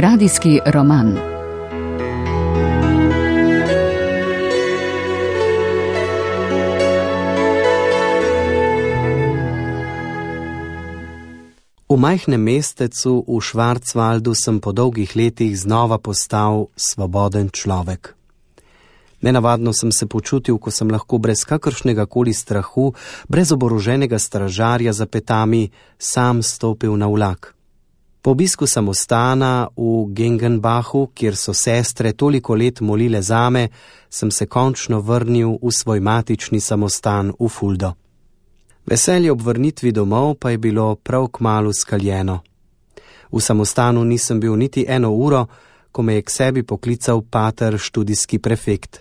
Radijski roman. V majhnem mestecu v Schwarzwaldu sem po dolgih letih znova postal svoboden človek. Nenavadno sem se počutil, ko sem lahko brez kakršnega koli strahu, brez oboroženega stražarja za petami, sam stopil na vlak. Po obisku samostana v Gengenbachu, kjer so sestre toliko let molile zame, sem se končno vrnil v svoj matični samostan v Fuldo. Veselje ob vrnitvi domov pa je bilo prav kmalu skaljeno. V samostanu nisem bil niti eno uro, ko me je k sebi poklical pater študijski prefekt.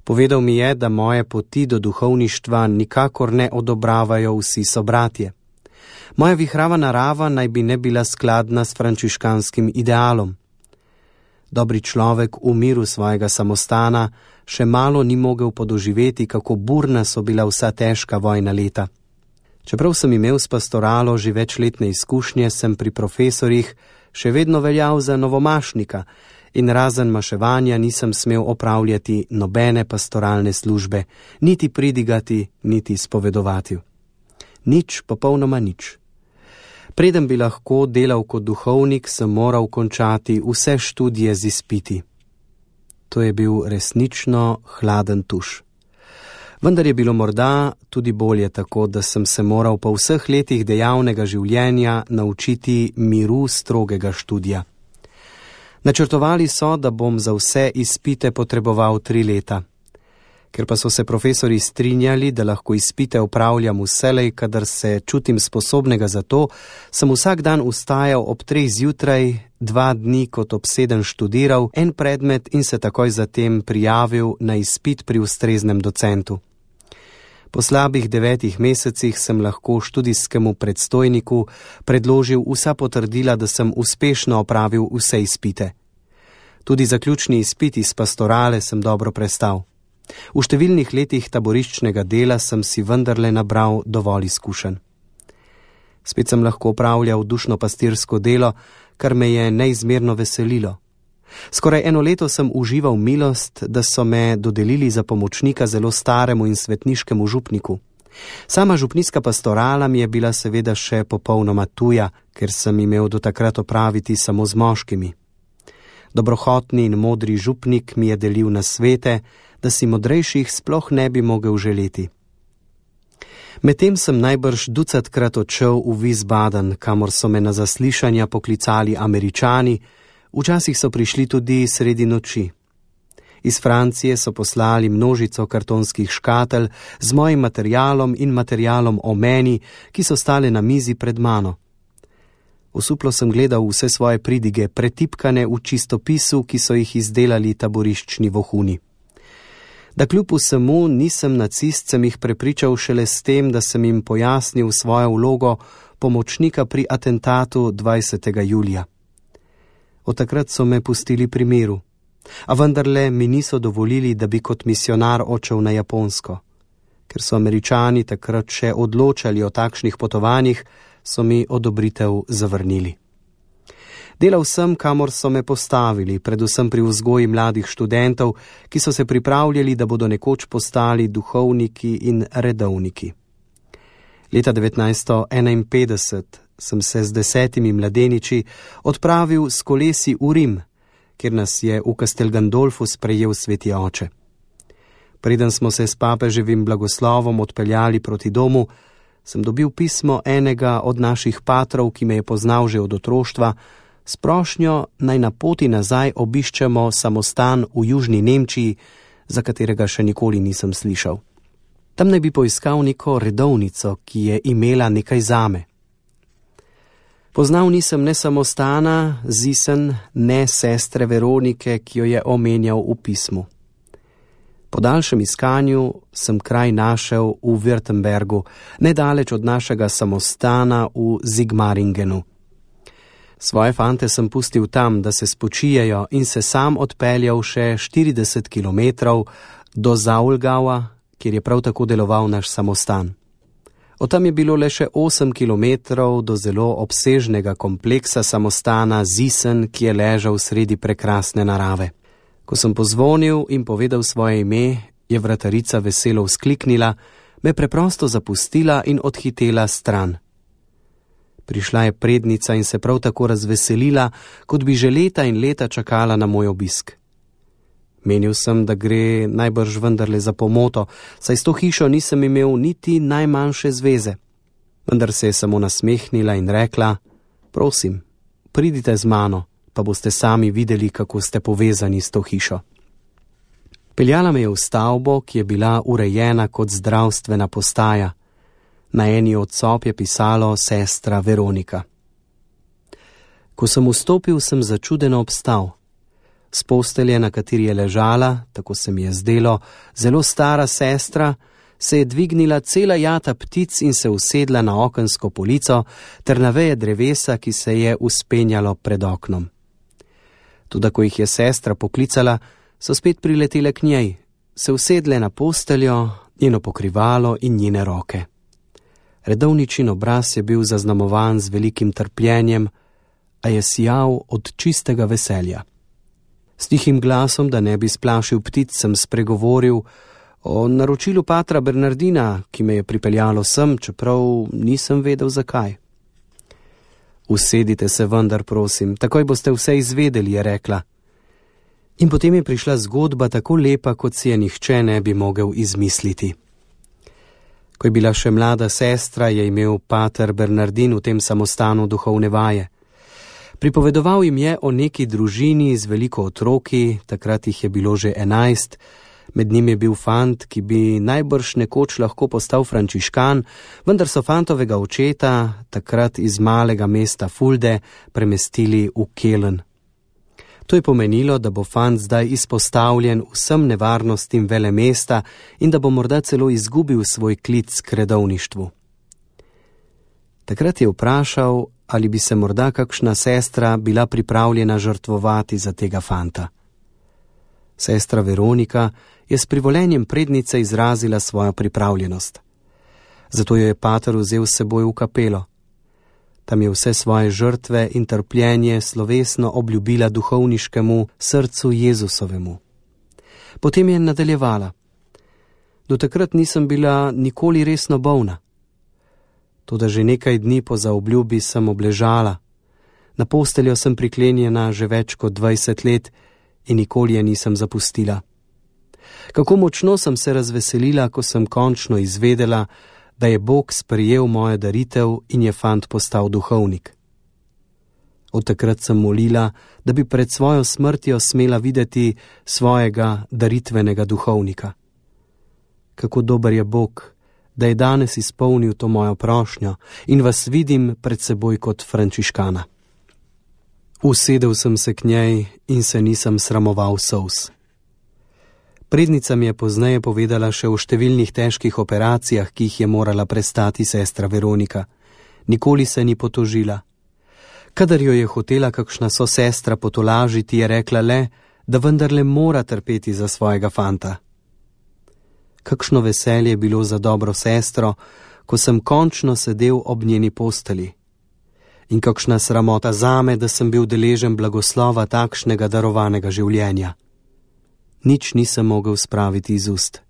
Povedal mi je, da moje poti do duhovništva nikakor ne odobravajo vsi sobratje. Moja vihrava narava naj bi ne bila skladna s frančiškanskim idealom. Dobri človek v miru svojega samostana še malo ni mogel podoživeti, kako burna so bila vsa težka vojna leta. Čeprav sem imel s pastoralo že večletne izkušnje, sem pri profesorjih še vedno veljal za novomašnika in razen maševanja nisem smel opravljati nobene pastoralne službe, niti pridigati, niti spovedovati. Nič, popolnoma nič. Preden bi lahko delal kot duhovnik, sem moral končati vse študije z izpiti. To je bil resnično hladen tuš. Vendar je bilo morda tudi bolje tako, da sem se moral po vseh letih dejavnega življenja naučiti miru strogega študija. Načrtovali so, da bom za vse izpite potreboval 3 leta. Ker pa so se profesori strinjali, da lahko izpite opravljam vselej, kadar se čutim sposobnega za to, sem vsak dan vstajal ob 3 zjutraj, 2 dni kot obseden študiral en predmet in se takoj zatem prijavil na izpit pri ustreznem docentu. Po slabih 9 mesecih sem lahko študijskemu predstojniku predložil vsa potrdila, da sem uspešno opravil vse izpite. Tudi zaključni izpit iz pastorale sem dobro prestal. V številnih letih taboriščnega dela sem si vendarle nabral dovolj izkušenj. Spet sem lahko opravljal dušno-pastirsko delo, kar me je neizmerno veselilo. Skoraj 1 leto sem užival milost, da so me dodelili za pomočnika zelo staremu in svetniškemu župniku. Sama župnijska pastorala mi je bila seveda še popolnoma tuja, ker sem imel do takrat opraviti samo z moškimi. Dobrohotni in modri župnik mi je delil nasvete, da si modrejših sploh ne bi mogel želeti. Medtem sem najbrž 20krat odšel v Wiesbaden, kamor so me na zaslišanja poklicali Američani, včasih so prišli tudi sredi noči. Iz Francije so poslali množico kartonskih škatel z mojim materialom in materialom o meni, ki so stale na mizi pred mano. Osuplo sem gledal vse svoje pridige, pretipkane v čistopisu, ki so jih izdelali taboriščni vohuni. Da kljub vsemu nisem nacist, sem jih prepričal šele s tem, da sem jim pojasnil svojo vlogo pomočnika pri atentatu 20. julija. Od takrat so me pustili pri miru, a vendarle mi niso dovolili, da bi kot misionar odšel na Japonsko. Ker so Američani takrat še odločali o takšnih potovanjih, so mi odobritev zavrnili. Delal sem, kamor so me postavili, predvsem pri vzgoji mladih študentov, ki so se pripravljali, da bodo nekoč postali duhovniki in redovniki. Leta 1951 sem se z 10 mladeniči odpravil s kolesi v Rim, kjer nas je v Castel Gandolfu sprejel sveti oče. Preden smo se s papeževim blagoslovom odpeljali proti domu, sem dobil pismo enega od naših patrov, ki me je poznal že od otroštva, s prošnjo naj na poti nazaj obiščemo samostan v južni Nemčiji, za katerega še nikoli nisem slišal. Tam naj bi poiskal neko redovnico, ki je imela nekaj zame. Poznal nisem ne samostana, Zisen, ne sestre Veronike, ki jo je omenjal v pismu. Po daljšem iskanju sem kraj našel v Württembergu, nedaleč od našega samostana v Sigmaringenu. Svoje fante sem pustil tam, da se spočijejo, in se sam odpeljal še 40 kilometrov do Zaulgaua, kjer je prav tako deloval naš samostan. Od tam je bilo le še 8 kilometrov do zelo obsežnega kompleksa samostana Zisen, ki je ležal sredi prekrasne narave. Ko sem pozvonil in povedal svoje ime, je vratarica veselo vzkliknila, me preprosto zapustila in odhitela stran. Prišla je prednica in se prav tako razveselila, kot bi že leta in leta čakala na moj obisk. Menil sem, da gre najbrž vendarle za pomoto, saj s to hišo nisem imel niti najmanjše zveze. Vendar se je samo nasmehnila in rekla: prosim, pridite z mano, pa boste sami videli, kako ste povezani s to hišo. Peljala me je v stavbo, ki je bila urejena kot zdravstvena postaja. Na eni od sob je pisalo sestra Veronika. Ko sem vstopil, sem začudeno obstal. S postelje, na kateri je ležala, tako se mi je zdelo, zelo stara sestra, se je dvignila cela jata ptic in se usedla na okensko polico ter na veje drevesa, ki se je vzpenjalo pred oknom. Toda ko jih je sestra poklicala, so spet priletele k njej, se usedle na posteljo, njeno pokrivalo in njene roke. Redovničin obraz je bil zaznamovan z velikim trpljenjem, a je sijal od čistega veselja. S tihim glasom, da ne bi splašil ptic, sem spregovoril o naročilu patra Bernardina, ki me je pripeljalo sem, čeprav nisem vedel zakaj. Usedite se vendar, prosim, takoj boste vse izvedeli, je rekla. In potem je prišla zgodba tako lepa, kot si je nihče ne bi mogel izmisliti. Ko je bila še mlada sestra, je imel pater Bernardin v tem samostanu duhovne vaje. Pripovedoval jim je o neki družini z veliko otroki, takrat jih je bilo že 11, med njim je bil fant, ki bi najbrž nekoč lahko postal frančiškan, vendar so fantovega očeta, takrat iz malega mesta Fulde, premestili v Kelen. To je pomenilo, da bo fant zdaj izpostavljen vsem nevarnostim velemesta in da bo morda celo izgubil svoj klic k redovništvu. Takrat je vprašal, ali bi se morda kakšna sestra bila pripravljena žrtvovati za tega fanta. Sestra Veronika je s privolenjem prednice izrazila svojo pripravljenost. Zato jo je pater vzel s seboj v kapelo. Tam je vse svoje žrtve in trpljenje slovesno obljubila duhovniškemu srcu Jezusovemu. Potem je nadaljevala. Do takrat nisem bila nikoli resno bolna. Toda že nekaj dni po zaobljubi sem obležala. Na posteljo sem priklenjena že več kot 20 let in nikoli je nisem zapustila. Kako močno sem se razveselila, ko sem končno izvedela, da je Bog sprejel mojo daritev in je fant postal duhovnik. Od takrat sem molila, da bi pred svojo smrtjo smela videti svojega daritvenega duhovnika. Kako dober je Bog, da je danes izpolnil to mojo prošnjo in vas vidim pred seboj kot frančiškana. Usedel sem se k njej in se nisem sramoval solz. Prednica mi je pozneje povedala še o številnih težkih operacijah, ki jih je morala prestati sestra Veronika. Nikoli se ni potožila. Kadar jo je hotela kakšna sosestra potolažiti, je rekla le, da vendarle mora trpeti za svojega fanta. Kakšno veselje je bilo za dobro sestro, ko sem končno sedel ob njeni posteli. In kakšna sramota zame, da sem bil deležen blagoslova takšnega darovanega življenja. Nič nisem mogel spraviti iz ust.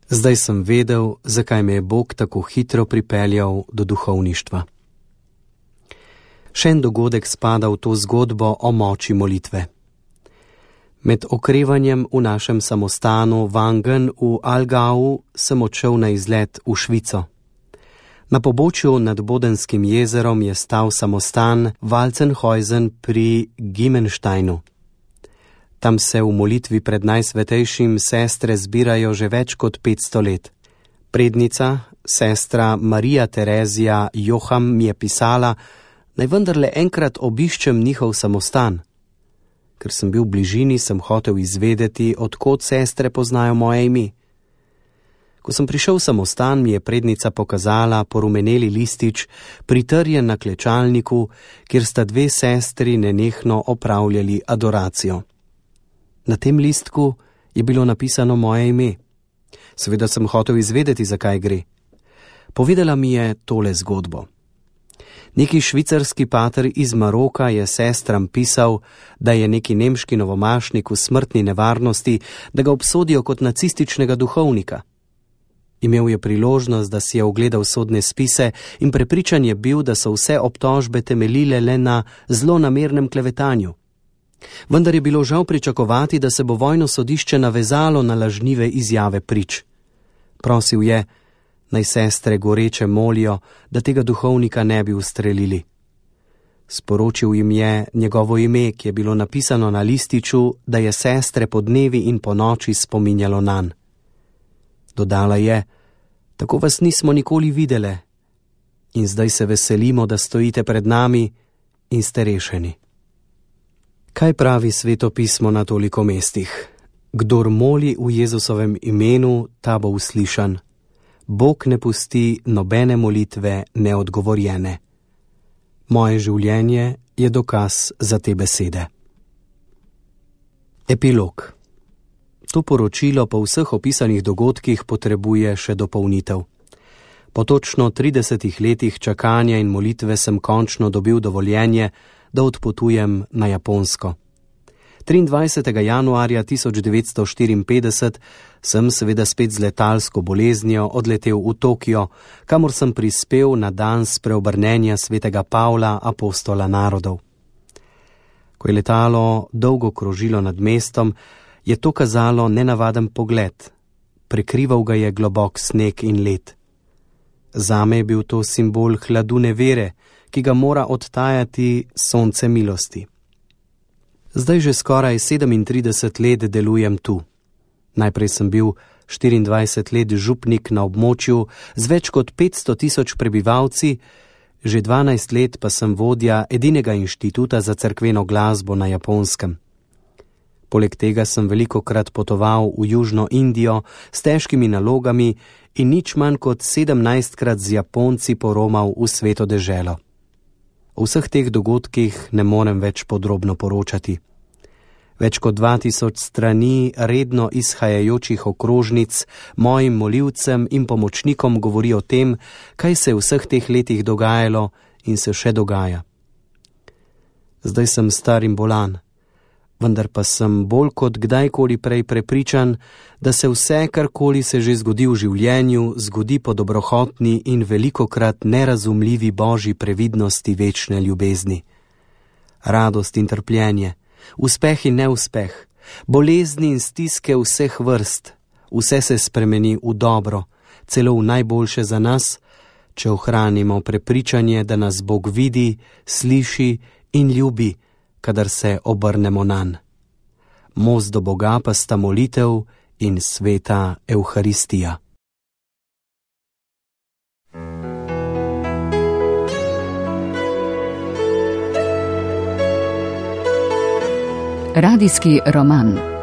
Zdaj sem vedel, zakaj me je Bog tako hitro pripeljal do duhovništva. Še en dogodek spada v to zgodbo o moči molitve. Med okrevanjem v našem samostanu Wangen v Allgäu sem odšel na izlet v Švico. Na pobočju nad Bodenskim jezerom je stal samostan Walzenhausen pri Gimensteinu. Tam se v molitvi pred najsvetejšim sestre zbirajo že več kot 500 let. Prednica, sestra Marija Terezija Joham, mi je pisala, naj vendarle enkrat obiščem njihov samostan. Ker sem bil v bližini, sem hotel izvedeti, od kod sestre poznajo moje ime. Ko sem prišel v samostan, mi je prednica pokazala porumeneli listič, pritrjen na klečalniku, kjer sta dve sestri nenehno opravljali adoracijo. Na tem listku je bilo napisano moje ime. Seveda sem hotel izvedeti, zakaj gre. Povedala mi je tole zgodbo. Neki švicarski pater iz Maroka je sestram pisal, da je neki nemški novomašnik v smrtni nevarnosti, da ga obsodijo kot nacističnega duhovnika. Imel je priložnost, da si je ogledal sodne spise in prepričan je bil, da so vse obtožbe temeljile le na zlonamernem klevetanju. Vendar je bilo žal pričakovati, da se bo vojno sodišče navezalo na lažnive izjave prič. Prosil je, naj sestre goreče molijo, da tega duhovnika ne bi ustrelili. Sporočil jim je njegovo ime, ki je bilo napisano na lističu, da je sestre po dnevi in po noči spominjalo nanj. Dodala je, tako vas nismo nikoli videle in zdaj se veselimo, da stojite pred nami in ste rešeni. Kaj pravi Sveto pismo na toliko mestih? Kdor moli v Jezusovem imenu, ta bo uslišan. Bog ne pusti nobene molitve neodgovorjene. Moje življenje je dokaz za te besede. Epilog. To poročilo po vseh opisanih dogodkih potrebuje še dopolnitev. Po točno 30 letih čakanja in molitve sem končno dobil dovoljenje, da odpotujem na Japonsko. 23. januarja 1954 sem seveda spet z letalsko boleznijo odletel v Tokio, kamor sem prispel na dan spreobrnenja svetega Pavla, apostola narodov. Ko je letalo dolgo krožilo nad mestom, je to kazalo nenavaden pogled. Prekrival ga je globok sneg in led. Zame je bil to simbol hladu nevere, ki ga mora odtajati sonce milosti. Zdaj že skoraj 37 let delujem tu. Najprej sem bil 24 let župnik na območju z več kot 500 000 prebivalci, že 12 let pa sem vodja edinega inštituta za cerkveno glasbo na Japonskem. Poleg tega sem velikokrat potoval v Južno Indijo s težkimi nalogami in nič manj kot 17krat z Japonci poromal v sveto deželo. O vseh teh dogodkih ne morem več podrobno poročati. Več kot 2000 strani redno izhajajočih okrožnic mojim molivcem in pomočnikom govori o tem, kaj se je v vseh teh letih dogajalo in se še dogaja. Zdaj sem star in bolan, vendar pa sem bolj kot kdajkoli prej prepričan, da se vse, karkoli se že zgodi v življenju, zgodi po dobrohotni in velikokrat nerazumljivi Božji previdnosti večne ljubezni. Radost in trpljenje, uspeh in neuspeh, bolezni in stiske vseh vrst, vse se spremeni v dobro, celo v najboljše za nas, če ohranimo prepričanje, da nas Bog vidi, sliši in ljubi, kadar se obrnemo nanj. Most do Boga pa sta molitev in sveta Evharistija. Radijski roman.